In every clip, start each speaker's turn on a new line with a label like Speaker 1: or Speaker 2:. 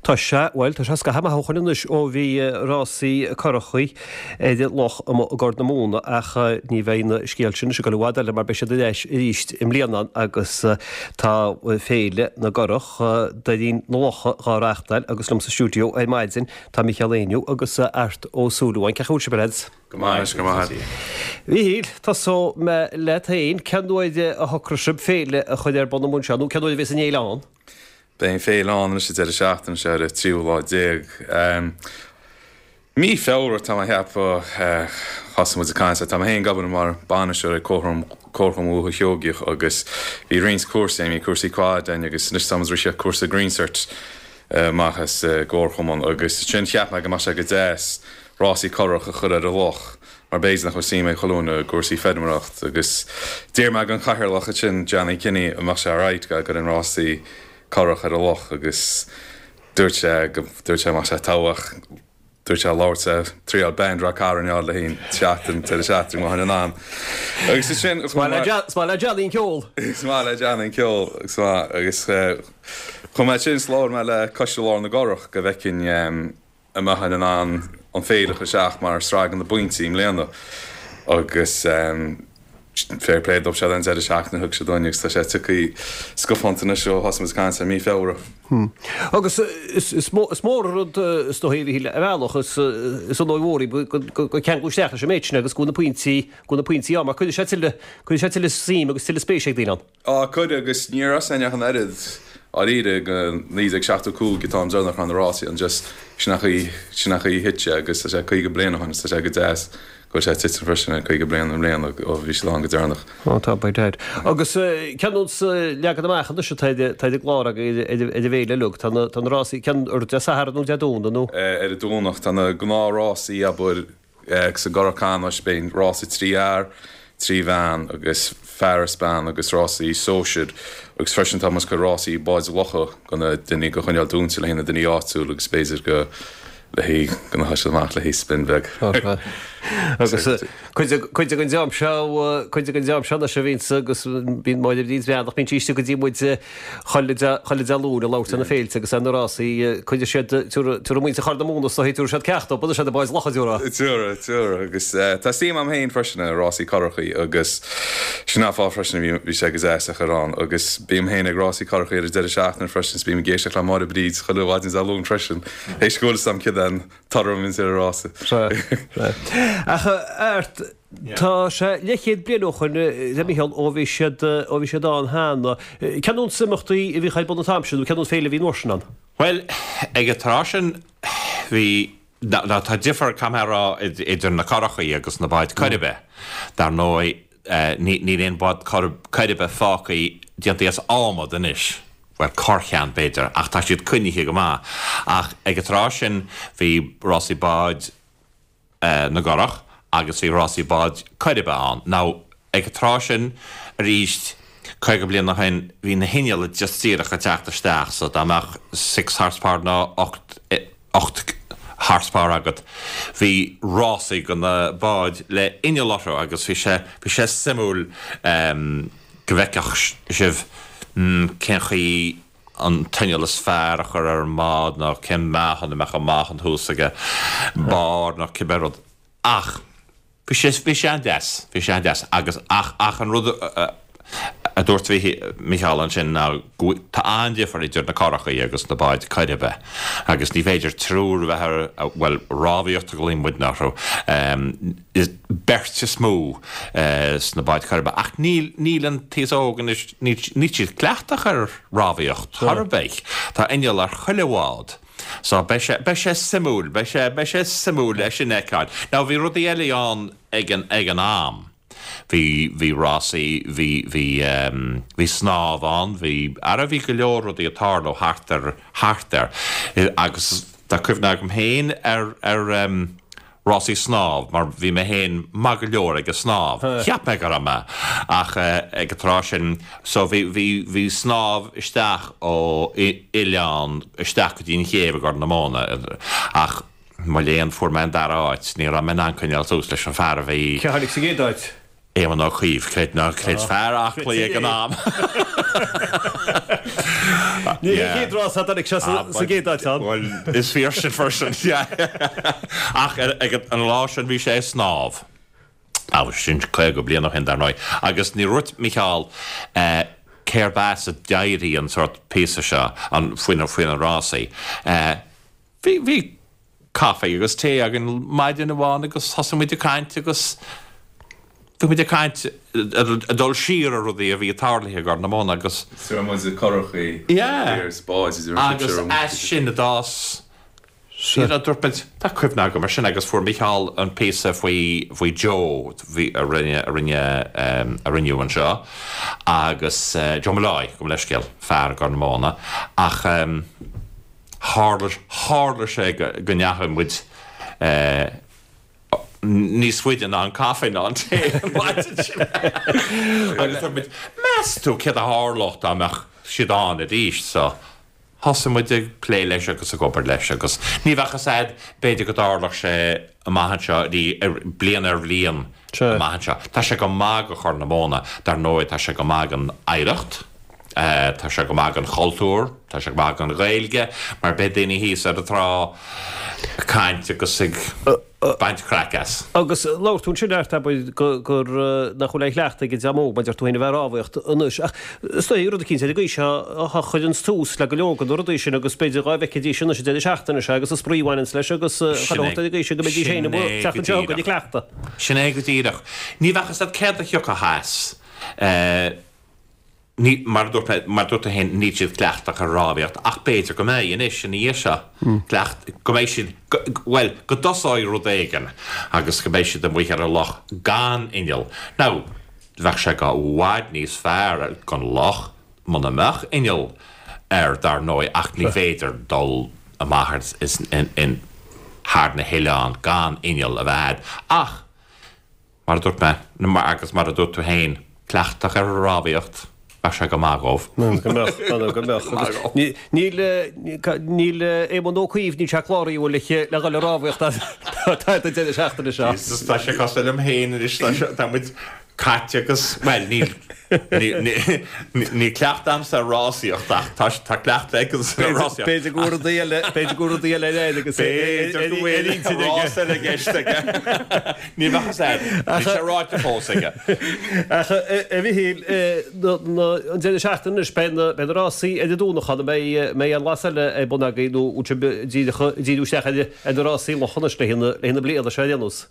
Speaker 1: Tá sé, bhuel, tá sé scaitheamh maith ó shoin anois ó bhí rásaí curachaí ar an loch amuigh i gCorr na Móna ach ní bheidh an scéal sin anois ag dul i bhfad eile mar beidh siad ar ais arís i mbliana agus tá Féile na gCurach Doirín na Locha dhá reáchtáil agus liom sa stiúideo ar maidin tá Micheál Éinniú agus Art Ó Súilleabháin. Cén chaoi a bhfuil sibh a leaids?
Speaker 2: Go maith, go maith.
Speaker 1: Mhichíl, tosóidh mé leat féin. Cén uair a shocraigh sibh féile a chur ar bun amuigh anseo nó cén uair a bheas an fhéile ann?
Speaker 2: Beidh an féile ann anois an deireadh seachtaine seo ar an tríú lá déag. Mí Feabhra tá mé a cheapadh thosaigh muid ag caint. Tá mé féin ag obair mar bainisteoir ag Comharchumann Dhúiche Sheoigeach agus bhí roinnt cúrsaí ann, bhí cúrsaí quad ann agus anois tá muid ag rith cúrsa Green Cert amach as an gComharchumann agus ansin cheap mé go mbeadh sé go deas rásaí curach a chur ar an loch mar b'fhéidir nach bhfuil suim ag chuile dhuine i gcúrsaí feirmeoireacht agus d'iarr mé den chathaoirleach ansin Johnny Kinney an mbeadh sé alright go gcuirfinn rásaí curach ar an loch agus dúirt sé go dúirt sé go mbeadh sé togha ach dúirt sé labhairt le triail band Ráth Cairn a fháil le haghaidh an tseachtain deireadh seachtaine go mbeinn in ann agus ansin
Speaker 1: Is maith le is maith le Johnny an ceol.
Speaker 2: Is maith le Johnny an ceol is maith agus chuaigh mé ansin is labhair mé le Coiste Lár na gCurach go bhfeicfinn an mbeinn in ann an féile a chur isteach mar sraith de na bpointí i mbliana agus fair play dóibh siad an deireadh seachtaine a thug siad dúinn agus tá sé tagtha scafánta anois ó thosaigh muid ag caint ar mí Feabhra.
Speaker 1: Agus is mór an rud is dóigh a Mhichíl ar bhealach is is onóir mhór í go ceangal isteach leis an méid sin agus go bhfuil na pointí go bhfuil na pointí ann mar cuirfidh sé tuilleadh cuirfidh sé tuilleadh suim agus tuilleadh spéise ag daoine ann.
Speaker 2: Á, cuirfidh, agus ní raibh ann ach an oiread, dháiríre, go 1975 an t-am deireanach a raibh na rásaí ann, just, sin an chaoi, sin an chaoi a thit sé agus tá sé 50 bliain ó shin agus tá sé go deas go bhfuil sé ag titim freisin ar 50 bliain i mbliana ó bhí siad ann go deireanach.
Speaker 1: Á, tá, by dad. Agus cén nós leagan amach anois atá ar an gclár agaibh ar an bhféile uilig? Tá na, tá na rásaí, cén, ar Dé Sathairn nó Dé Domhnaigh nó?
Speaker 2: Ar an Domhnach, tá na gnáthrásaí, abair, Sa gCurach Ceannais beidh rása 3 fhear, 3 bhean agus fear is bean agus rásaí sóisir agus freisin tá muid ag cur rásaí báid locha go na duine go choinneáil dúinte le haghaidh na duine áitiúil agus b'fhéidir go le haghaidh go na siad amach le haghaidh spin bheag.
Speaker 1: Agus cuid den dream seo, cuid den dream seo anois a bhíonns agus bíonn Máire Bríd Bhreathnach, bíonn sí istigh go dtí muid chuile Dé Luain ag labhairt ar na féilte agus ar na rásaí, cuirfidh siad, tabharfaidh muintir Chorr na Móna is dóigh, tabharfaidh siad ceacht dóibh, bunóidh siad na báid locha, déarfá.
Speaker 2: Tabharfaidh, tabharfaidh, agus tá suim agam féin freisin i rásaí curachaí agus sin an fáth freisin a bhí, bhí sé go deas a chur ann agus bím féin ag rásaí curachaí ar an deireadh seachtaine freisin is bím ag éisteacht le Máire Bríd chuile mhaidin Dé Luain freisin, théis go bhfuil fhios agam céard é an toradh a bhíonns ar an rása.
Speaker 1: Sea, sea. Ach Art, Tá sé leathchéad bliain ó shoin, a Mhichíl, ó bhí siad, ó bhí siad ann cheana. Cén nós imeachtaí a bhíodh ar bun an t-am sin, nó cén nós féile a bhí an uair sin ann?
Speaker 3: Bhuel, ag an tráth sin, bhí, ná tá difear, caithfidh mé a rá, idir na curachaí agus na báid coiribe. Dar ndóigh, níl aon bhád coiribe fágtha déanta as adhmad anois, bhuel, corrcheann b'fhéidir, ach tá siad coinnithe go maith. Ach ag an tráth sin, bhí rásaí báid, na gcurach agus bhí rásaí báid coiribe ann. Now, ag an tráth sin, arís, 50 bliain ó shin, bhí na hinnealla just díreach ag teacht isteach so dá mbeadh six horsepower nó 8 horsepower agat, bhí rásaí go na báid le inneall orthu agus bhí sé, bhí sé suimiúil go bhfeicfeadh sibh cén chaoi an t-inneall is fearr a chur ar an mbád nó cén meáchan a mbeadh an meáchan thuas ag barr nó cibé rud. Ach bhí sé, bhí sé an-deas, bhí sé an-deas agus ach, ach an rud a dúirt Micheál ansin ná go bhfuil, tá an-difear idir na curachaí agus na báid coiribe agus ní féidir triúr a bheith ar, bhuel, rámhaíocht a ghlaonn muidne orthu, beirt is mó sna báid choiribe ach níl, níl an t-aos óg anois, níl, níl siad cleachtach ar rámhaíocht chor ar bith. Tá inneall ar chuile bhád. So beidh sé, beidh sé suimiúil, beidh sé, beidh sé suimiúil é sin a fheiceáil. Now bhí rudaí eile ann ag an, ag an am. Bhí, bhí rásaí, bhí, bhí, bhí snámh ann, bhí, ara bhí go leor rudaí ag tarlú thart ar, thart air. Agus tá cuimhne agam féin ar, ar, rásaí snámh mar bhí mé féin maith go leor ag an snámh. Cheap mé go raibh mé ach ag an tráth sin so bhí bhí bhí snámh isteach ó oileán isteach go dtí an chéibh i gCorr na Móna ach mo léan fuair mé an dara háit. Ní raibh mé in ann coinneáil suas leis an fear a bhí
Speaker 1: Cé a tháinig sa gcéad áit?
Speaker 3: Éamon Ó Cuív, creid nó ná creid, fear aclaí ag an am.
Speaker 1: Ní hé an chéad rás a tháinig sé sa gcéad áit ann.
Speaker 3: Bhuel, is fíor sin freisin. Ach ag an lá sin bhí sé ag snámh. Agus sin 50 bliain ó shin, dar ndóigh. Agus ní dhúirt Mícheál cérb as a d'éirigh an sórt píosa seo faoi na rásaí. Bhí, bhí caife agus tae againn maidin amháin agus thosaigh muid ag caint agus bhí muid ag caint, ag dul siar ar rudaí a bhí tarlaithe i gCorr na Móna agus.
Speaker 2: Is raibh muid ag currachaí
Speaker 3: Yeah.
Speaker 2: is báid idir an
Speaker 3: Agus as sin a d'fhás, you know, dúirt muid, tá cuimhne agam ar sin agus fuair Mícheál an píosa faoi, faoi Joe bhí, a rinne, a rinne, a rinneadh anseo agus Joe Molloy, gabh mo leithscéal, fear i gCorr na Móna ach. Tharla, tharla sé go ndeachaigh muid níos faide ná an caife ná an tae an mhaidin sin. Agus dúirt muid, meas tú céard a tharlódh dá mbeadh siad ann arís? So, thosaigh muid ag plé leis agus ag obair leis agus ní bheadh fhios a'd, b'fhéidir go dtarlódh sé amach anseo, bliain ar bhliain amach anseo. Tá sé go maith go Chorr na Móna, dar ndóigh tá sé go maith don oidhreacht. Tá sé go maith don chultúr, tá sé go maith don Ghaeilge, mar beidh daoine thíos ar an trá ag caint agus ag baint craic as.
Speaker 1: Agus labhair tú ansin, Art, abair, gur nach bhfuil aon chleachtadh ag an dream óg, mar a deir tú féin, a bheith ag rámhaíocht anois. Ach is dóigh, rud eicínt ar an gcaoi seo a chuireanns tús le go leor de na rudaí sin agus b'fhéidir dhá bhfeicfidís anois an deireadh seachtaine seo agus an spraoi a bhaineanns leis agus chuile shórt ar an gcaoi sin go mbeidís féin amuigh an tseachtain seo chugainn ag cleachtadh.
Speaker 3: Sin é go díreach. Ní bheadh fhios a'd céard a thiocfadh as. Ní, mar a dúirt mé, mar a dúirt tú féin, níl siad cleachtach ar rámhaíocht ach b'fhéidir go mbeidh anois ina dhiaidh seo, cleacht, go mbeidh siad, go, bhuel, go dtosóidh rud éigin agus go mbeidh siad amuigh ar an loch gan inneall. Now, bheadh sé go bhfad níos fearr don loch muna mbeadh inneall air, dar ndóigh, ach ní féidir dul amach ar, is, in, in, thar na hoileáin gan inneall a bheith a'd. Ach, Mar a dúirt mé, agus mar a dúirt tú féin, cleachtach ar an rámhaíocht, bheadh sé go maith dhóibh.
Speaker 1: Go mbeadh, go mbeadh. Agus níl, níl Éamonn Ó Cuív, níl sé cláraithe bhfuil le le dhul ag rámhaíocht an deireadh seachtaine seo.
Speaker 3: Jesus, tá sé cosúil liom féin anois, tá muid caite agus, bhuel, níl, níl cleachtadh a'msa ar rásaíocht ach tá, tá cleachtadh aige ar rásaíocht.
Speaker 1: B'fhéidir go bhfuil rudaí eile, b'fhéidir go bhfuil rudaí eile air agus
Speaker 3: B'fhéidir go bhfuil rás eile i gceist aige. Ní bheadh fhios a'd, níl sé ráite fós aige.
Speaker 1: Ach a Mhichíl, an deireadh seachtaine anois, beidh na, beidh na rásaí ar an Domhnach ann, an mbeidh, mbeidh aon rás eile ar bun agaibh nó bhfuil sibh díreach ag díriú isteach ar, ar na rásaí locha anois le haghaidh na bliana seo ar aon nós?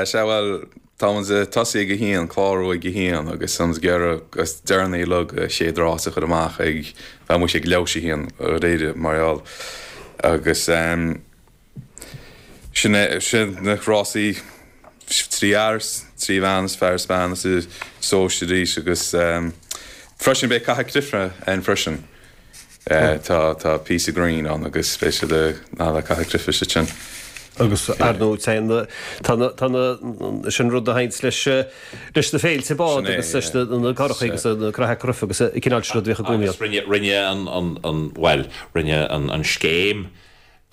Speaker 2: Sea, bhuel, tá muid ag tosaí ag a haon, clárú ag a haon agus tá muid ag iarraidh níos deireanaí uilig an chéad rás a chur amach ag, bheadh muid ag leathuair théis a haon, dáiríre, mar gheall. Agus sin é, sin na rásaí, 3 fhear, 3 bhean is fear is bean is sóisir arís agus freisin beidh Cath Cruifne ann freisin. Tá tá píosa grinn ann agus beidh siad ag caitheamh cruife ansin.
Speaker 1: Agus ar ndóigh téann na tá na tá na sin rud a théanns leis leis na féilte bád agus leis na na currachaí agus na craithe cruife agus an cineál sin rud a bhíodh i gcónaí ann.
Speaker 3: Agus rinne rinne an an an bhuel rinne an an scéim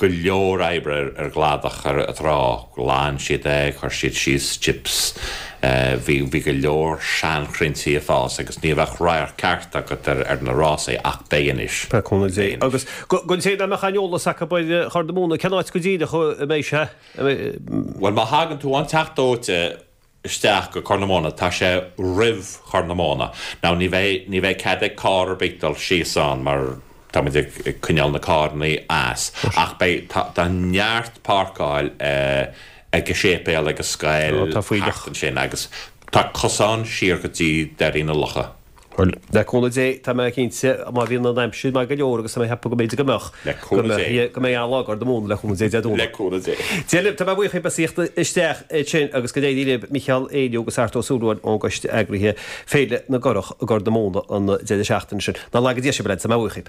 Speaker 3: go leor oibre ar an gcladach ar an trá. Ghlan siad é, chuir siad síos chips, bhí bhí go leor seanchrainnte ag fás agus ní bheadh radharc ceart agat ar ar na rásaí ach beidh anois.
Speaker 1: Le cúnamh Dé. Agus don té nach mbeadh aon eolas acu ar Chorr na Móna, cén áit go díreach a mbeidh sé?
Speaker 3: Bhuel má thagann tú ón Teach Dóite isteach go Corr na Móna, tá sé roimh Chorr na Móna. Now ní bheidh, ní bheidh cead ag carr ar bith dul síos ann mar tá muid ag, ag coinneáil na carrannaí as. Ach beidh, tá, tá neart páirceáil ag an séipéal, ag an scoil,
Speaker 1: Tá fuílleach.
Speaker 3: thart ansin agus tá cosán siar go dtí Doirín na Locha.
Speaker 1: Bhuel, le cúnamh Dé, tá mé cinnte, má bhíonn an aimsir maith go leor, agus tá mé ag ceapadh go mb'fhéidir go mbeadh,
Speaker 3: Le cúnamh Dé.
Speaker 1: go mbeidh an-lá i gCorr na Móna, le cúnamh Dé, Dé Domhnaigh.
Speaker 3: Le cúnamh Dé.
Speaker 1: Dia libh, tá mé buíoch as ucht a thíocht isteach ansin agus go n-éirí libh, Micheál, Éinniú agus Art Ó Súilleabháin ón gCoiste Eagraithe, Féile na gCurrach i gCorr na Móna an deireadh seachtaine sin. Ná laga Dia sibh, a leaids, tá mé buíoch.